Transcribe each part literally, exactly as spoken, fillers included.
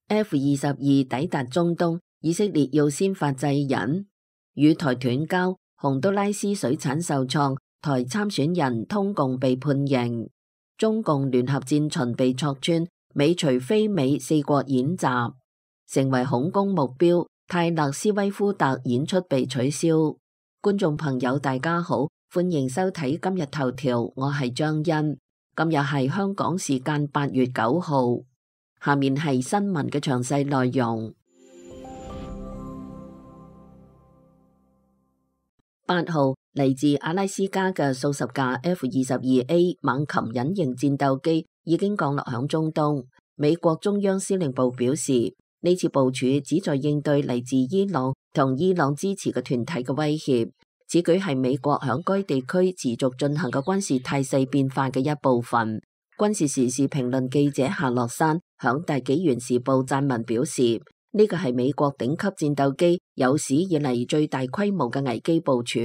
F 二十二抵達中東，以色列要先發制人，與台斷交，洪都拉斯水產受創，台參選人通共被判刑，中共聯合戰巡被戳穿，美隨非美四國演習，成為恐攻目標，泰勒斯威夫特演出被取消。觀眾朋友大家好，歡迎收睇今日頭條，我係張欣，今日係香港時間八月九號。下面係新聞嘅詳細內容。八號嚟自阿拉斯加嘅數十架 F 二十二 A 猛禽隱形戰鬥機已經降落響中東。美國中央司令部表示，呢次部署旨在應對嚟自伊朗同伊朗支持嘅團體嘅威脅。此舉係美國響該地區持續進行嘅軍事態勢變化嘅一部分。軍事時事評論記者夏洛山響大紀元時報撰文表示，呢個係美國頂級戰鬥機有史以嚟最大規模嘅危機部署，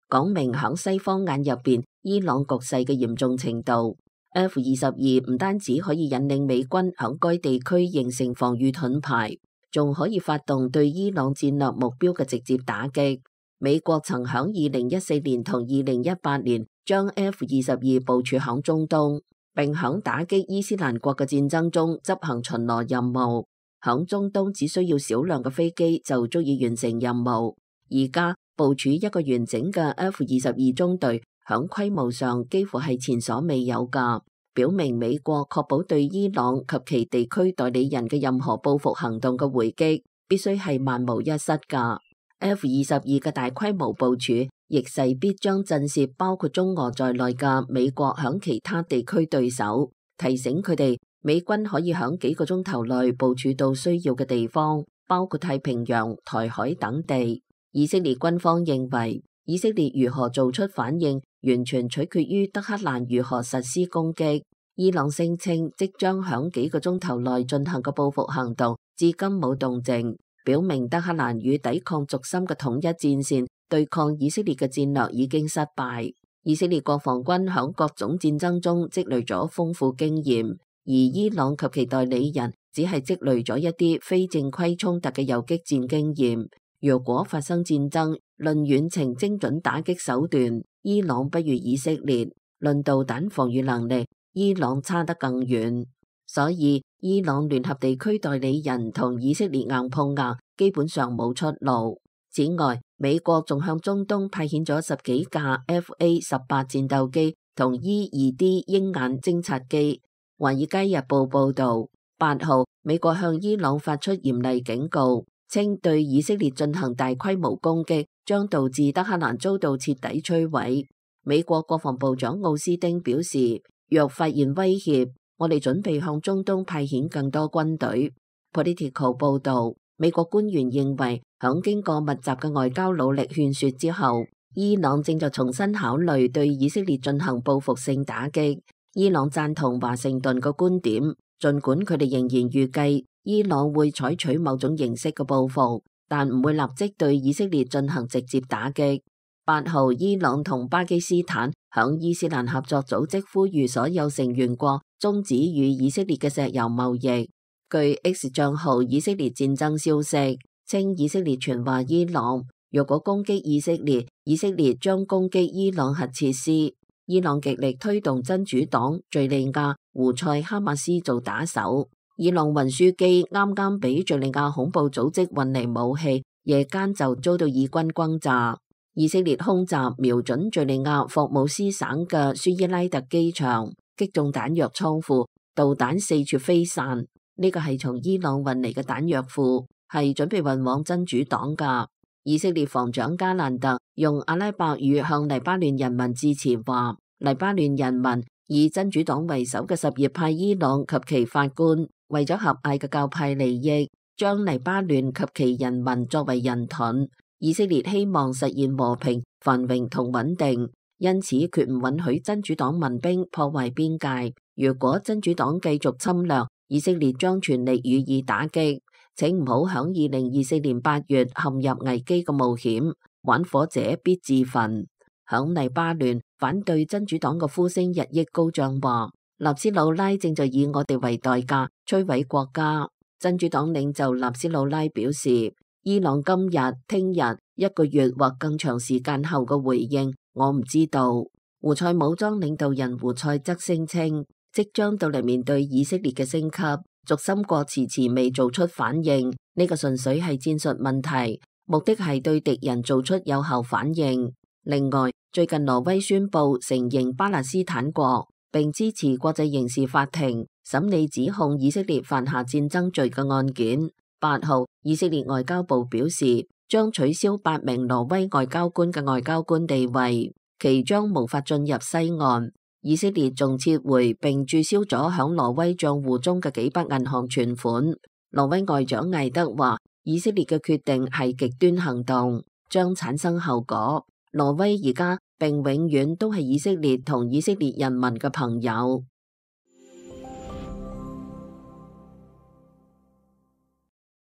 講明響西方眼入邊伊朗局勢嘅嚴重程度。F 二十二唔單止可以引領美軍響該地區形成防禦盾牌，仲可以發動對伊朗戰略目標嘅直接打擊。美國曾響二零一四年同二零一八年將 F 二十二部署響中東，並響打擊伊斯蘭國嘅戰爭中執行巡邏任務。響中東只需要少量嘅飛機就足以完成任務。而家部署一個完整嘅 F 二十二中隊，響規模上幾乎係前所未有㗎，表明美國確保對伊朗及其地區代理人嘅任何報復行動嘅回擊，必須係萬無一失㗎。F 二十二嘅大規模部署，亦勢必將震懾包括中俄在內嘅美國響其他地區對手，提醒佢哋美軍可以響幾個鐘頭內部署到需要嘅地方，包括太平洋、台海等地。以色列軍方認為，以色列如何做出反應，完全取決於德黑蘭如何實施攻擊。伊朗聲稱即將響幾個鐘頭內進行嘅報復行動，至今冇動靜，表明德黑蘭與抵抗軸心嘅統一戰線對抗以色列嘅戰略已經失敗。以色列國防軍響各種戰爭中積累咗豐富經驗，而伊朗及其代理人只係積累咗一啲非正規衝突嘅游擊戰經驗。若果發生戰爭，論遠程精準打擊手段，伊朗不如以色列；論導彈防禦能力，伊朗差得更遠。所以伊朗聯合地區代理人同以色列硬碰硬，基本上冇出路。此外，美國仲向中東派遣咗十幾架 F A 十八戰鬥機同 E 二 D 鷹眼偵察機。華爾街日報報道，八號美國向伊朗發出嚴厲警告，稱對以色列進行大規模攻擊將導致德黑蘭遭到徹底摧毀。美國國防部長奧斯汀表示，若發現威脅，我哋準備向中東派遣更多軍隊。Political 報道，美國官員認為，響經過密集嘅外交努力勸說之後，伊朗正在重新考慮對以色列進行報復性打擊。伊朗贊同華盛頓嘅觀點，儘管佢哋仍然預計伊朗會採取某種形式嘅報復，但唔會立即對以色列進行直接打擊。八號，伊朗同巴基斯坦響伊斯蘭合作組織呼籲所有成員國終止與以色列嘅石油貿易。據 X 賬號以色列戰爭消息稱，以色列傳話伊朗若果攻擊以色列，以色列將攻擊伊朗核設施。伊朗極力推動真主黨、敘利亞、胡塞、哈馬斯做打手。伊朗運輸機啱啱俾敘利亞恐怖組織運嚟武器，夜間就遭到以軍轟炸。以色列空襲瞄準敘利亞霍姆斯省嘅舒伊拉特機場，擊中彈藥倉庫，導彈四處飛散。呢個係從伊朗運嚟嘅彈藥庫，係準備運往真主黨噶。以色列防長加蘭特用阿拉伯語向黎巴嫩人民致辭話，黎巴嫩人民以真主黨為首嘅什葉派伊朗及其法官，為咗狹隘嘅教派利益，將黎巴嫩及其人民作為人盾。以色列希望實現和平、繁榮同穩定，因此決唔允許真主黨民兵破壞邊界。如果真主黨繼續侵略，以色列將全力予以打擊。請唔好響二零二四年八月陷入危機嘅冒險，玩火者必自焚。響黎巴嫩，反對真主黨嘅呼聲日益高漲，話納斯魯拉正在以我哋為代價摧毀國家。真主黨領袖納斯魯拉表示，伊朗今日、聽日、一個月或更長時間後嘅回應，我唔知道。胡塞武裝領導人胡塞則聲稱，即將到嚟面對以色列嘅升級，軸心國遲遲未做出反應，呢個純粹係戰術問題，目的係對敵人做出有效反應。另外，最近挪威宣布承認巴勒斯坦國，並支持國際刑事法庭審理指控以色列犯下戰爭罪嘅案件。八號，以色列外交部表示，將取消八名挪威外交官嘅外交官地位，其將無法進入西岸。以色列仲撤回並註銷咗響挪威賬戶中嘅幾筆銀行存款。挪威外長艾德話，以色列嘅決定係極端行動，將產生後果。挪威而家並永遠都係以色列同以色列人民嘅朋友。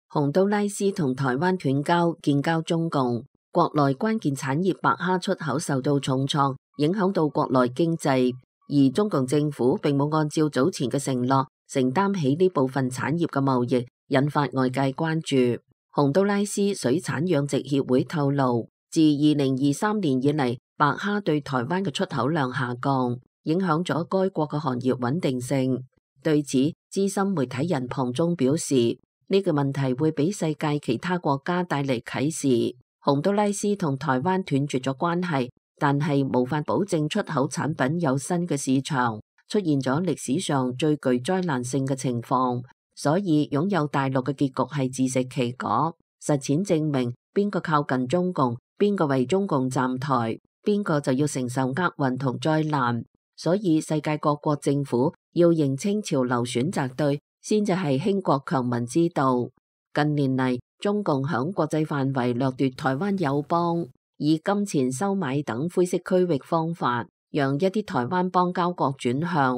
洪都拉斯同台灣斷交，建交中共，國內關鍵產業白蝦出口受到重創，影響到國內經濟，而中共政府並冇按照早前嘅承諾承擔起呢部分產業嘅貿易，引發外界關注。洪都拉斯水產養殖協會透露，自二零二三年以嚟，白蝦對台灣嘅出口量下降，影響咗該國嘅行業穩定性。對此，資深媒體人龐中表示，呢個問題會俾世界其他國家帶嚟啟示。洪都拉斯同台灣斷絕咗關係，但係無法保證出口產品有新嘅市場，出現咗歷史上最具災難性嘅情況。所以擁有大陸嘅結局係自食其果。實踐證明，邊個靠近中共，邊個為中共站台，邊個就要承受厄運同災難。所以世界各國政府要認清潮流，選擇對，先至係興國強民之道。近年嚟，中共響國際範圍掠奪台灣友邦，以金錢收買等灰色區域方法，讓一啲台灣邦交國轉向。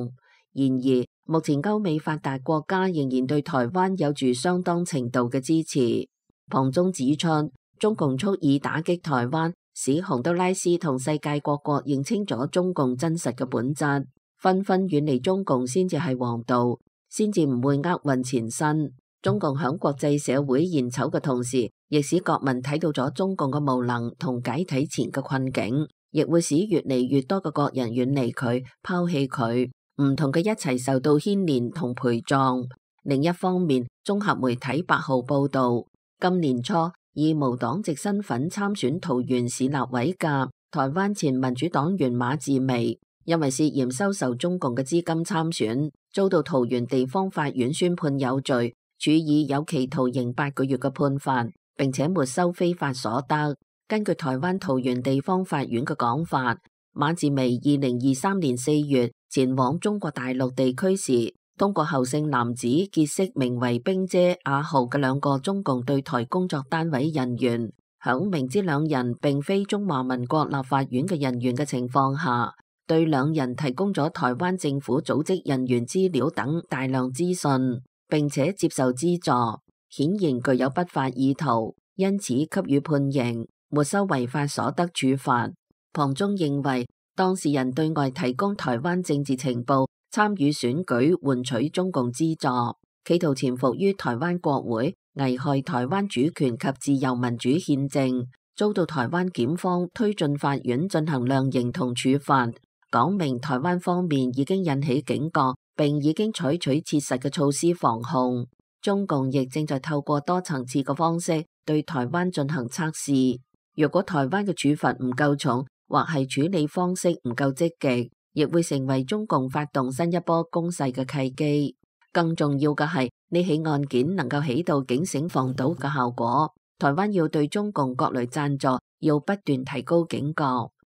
然而，目前歐美發達國家仍然對台灣有住相當程度嘅支持。龐中指出，中共蓄意打擊台灣，使洪都拉斯同世界各國認清咗中共真實嘅本質，紛紛遠離中共先至係王道，先至唔會厄運纏身。中共響國際社會現醜嘅同時，亦使國民睇到咗中共嘅無能同解體前嘅困境，亦會使越嚟越多嘅國人遠離佢、拋棄佢，唔同嘅一齊受到牽連同陪葬。另一方面，綜合媒體八號報道，今年初以無黨籍身份參選桃園市立委嘅台灣前民主黨員馬志薇，因為涉嫌收受中共嘅資金參選，遭到桃園地方法院宣判有罪，處以有期徒刑八個月嘅判罰，並且沒收非法所得。根據台灣桃園地方法院嘅講法，馬志薇二零二三年四月前往中國大陸地區時，通過侯姓男子結識名為冰姐阿豪嘅兩個中共對台工作單位人員，響明知兩人並非中華民國立法院嘅人員嘅情況下，對兩人提供咗台灣政府組織人員資料等大量資訊，並且接受資助，顯然具有不法意圖，因此給予判刑，沒收違法所得處罰。龐中認為，當事人對外提供台灣政治情報，參與選舉換取中共資助，企圖潛伏於台灣國會，危害台灣主權及自由民主憲政，遭到台灣檢方推進法院進行量刑同處罰，講明台灣方面已經引起警覺，並已經採取切實嘅措施防控。中共亦正在透過多層次嘅方式對台灣進行測試。若果台灣嘅處罰唔夠重，或係處理方式唔夠積極，亦會成為中共發動新一波攻勢嘅契機。更重要嘅係，呢起案件能夠起到警醒防堵嘅效果。台灣要對中共各類贊助要不斷提高警覺。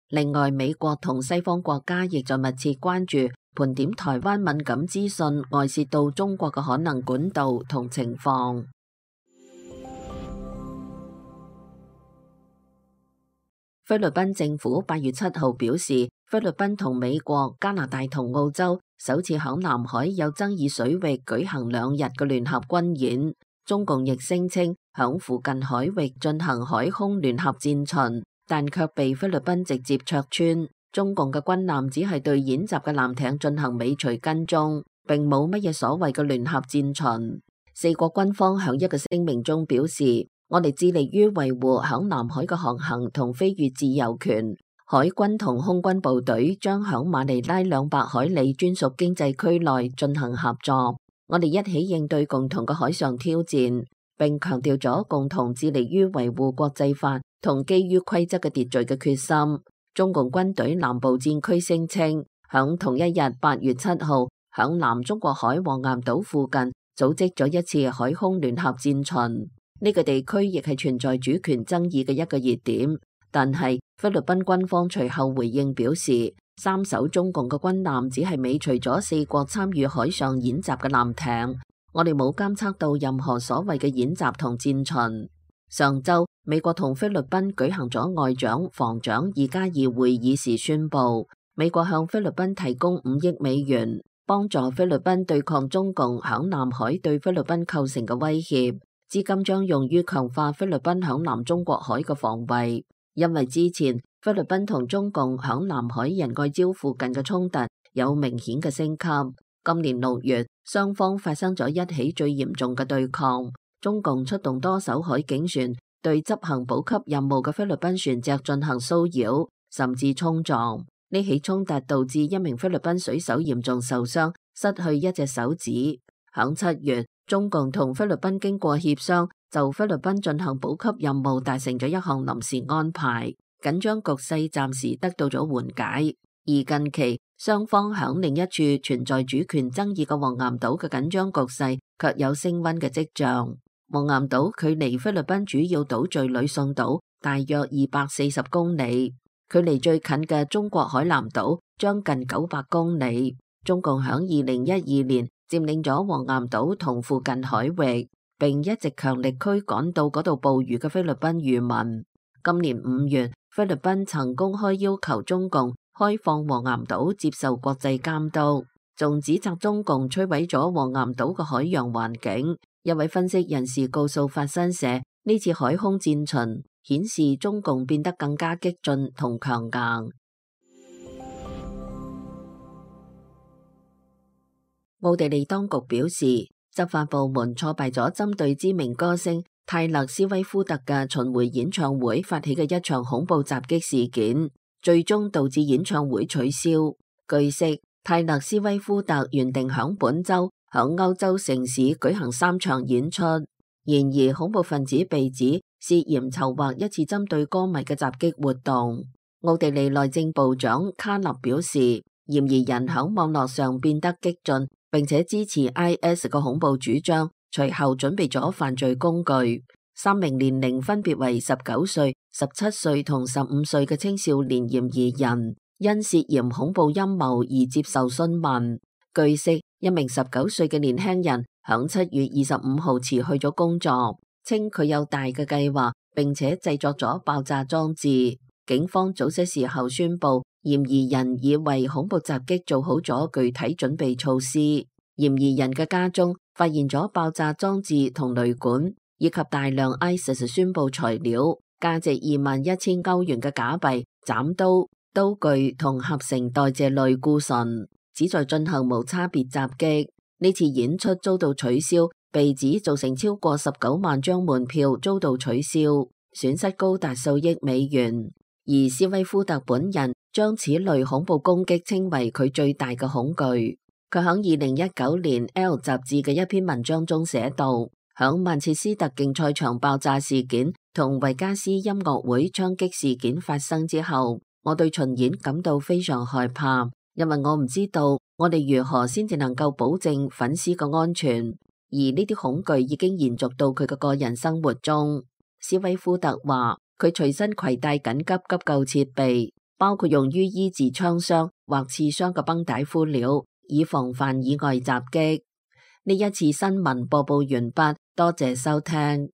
另外，美國同西方國家亦在密切關注盤點台灣敏感資訊外泄到中國嘅可能管道同情況。菲律賓政府八月七號表示，菲律賓同美國、加拿大同澳洲首次響南海有爭議水域舉行兩日嘅聯合軍演。中共亦聲稱響附近海域進行海空聯合戰巡，但卻被菲律賓直接戳穿。中共嘅軍艦只係對演習嘅艦艇進行尾隨跟蹤，並冇乜嘢所謂嘅聯合戰巡。四國軍方響一個聲明中表示，我哋致力於維護響南海嘅航行同飛越自由權。海軍同空軍部隊將響馬尼拉兩百海里專屬經濟區內進行合作，我哋一起應對共同嘅海上挑戰，並強調咗共同致力於維護國際法同基於規則嘅秩序嘅決心。中共軍隊南部戰區聲稱，響同一日八月七號，響南中國海黃岩島附近組織咗一次海空聯合戰巡。呢個地區亦係存在主權爭議嘅一個熱點。但係菲律賓軍方隨後回應表示，三艘中共嘅軍艦只係尾隨咗四國參與海上演習嘅艦艇，我哋冇監測到任何所謂嘅演習同戰巡。上週，美國同菲律賓舉行咗外長、防長二加二會議時宣布，美國向菲律賓提供五億美元，幫助菲律賓對抗中共響南海對菲律賓構成嘅威脅，資金將用於強化菲律賓響南中國海嘅防衛。因為之前菲律賓同中共響南海仁愛礁附近嘅衝突有明顯嘅升級，今年六月雙方發生咗一起最嚴重嘅對抗，中共出動多艘海警船對執行補給任務嘅菲律賓船隻進行騷擾，甚至衝撞。呢起衝突導致一名菲律賓水手嚴重受傷，失去一隻手指。響七月，中共同菲律賓經過協商，就菲律賓進行補給任務達成咗一項臨時安排，緊張局勢暫時得到咗緩解。而近期雙方響另一處存在主權爭議嘅黃岩島嘅緊張局勢卻有升溫嘅跡象。黃岩島距離菲律賓主要島嶼呂宋島大約二百四十公里，距離最近嘅中國海南島將近九百公里。中共響二零一二年佔領咗黃岩島同附近海域，並一直強力驅趕到嗰度捕魚嘅菲律賓漁民。今年五月，菲律賓曾公開要求中共開放黃岩島接受國際監督，仲指責中共摧毀咗黃岩島嘅海洋環境。一位分析人士告訴法新社，呢次海空戰巡顯示中共變得更加激進同強硬。奧地利當局表示，執法部門挫敗咗針對知名歌星泰勒斯威夫特嘅巡迴演唱會發起嘅一場恐怖襲擊事件，最終導致演唱會取消。據悉，泰勒斯威夫特原定響本周響歐洲城市舉行三場演出，然而恐怖分子被指涉嫌籌劃一次針對歌迷嘅襲擊活動。奧地利內政部長卡納表示，嫌疑人響網絡上變得激進，並且支持 I S 嘅恐怖主張，隨後準備咗犯罪工具。三名年齡分別為十九歲、十七歲同十五歲嘅青少年嫌疑人，因涉嫌恐怖陰謀而接受詢問。據悉，一名十九歲嘅年輕人響七月二十五號辭去咗工作，稱佢有大嘅計劃，並且製作咗爆炸裝置。警方早些時候宣布，嫌疑人已為恐怖襲擊做好咗具體準備措施。嫌疑人嘅家中發現咗爆炸裝置同雷管，以及大量 I S I S 宣佈材料，價值二萬一千歐元嘅假幣、斬刀、刀具同合成代謝類固醇，旨在進行無差別襲擊。呢次演出遭到取消，被指造成超過十九萬張門票遭到取消，損失高達數億美元。而斯威夫特本人將此類恐怖攻擊稱為佢最大嘅恐懼。佢喺二零一九年 L 雜誌嘅一篇文章中寫道，響曼徹斯特競賽場爆炸事件同維加斯音樂會槍擊事件發生之後，我對巡演感到非常害怕，因為我唔知道我哋如何先至能夠保證粉絲嘅安全，而呢啲恐懼已經延續到佢嘅個人生活中。斯威夫特話，佢隨身攜帶緊急急救設備，包括用於醫治槍傷或刺傷嘅繃帶敷料，以防範意外襲擊。呢一次新聞播報完畢，多謝收聽。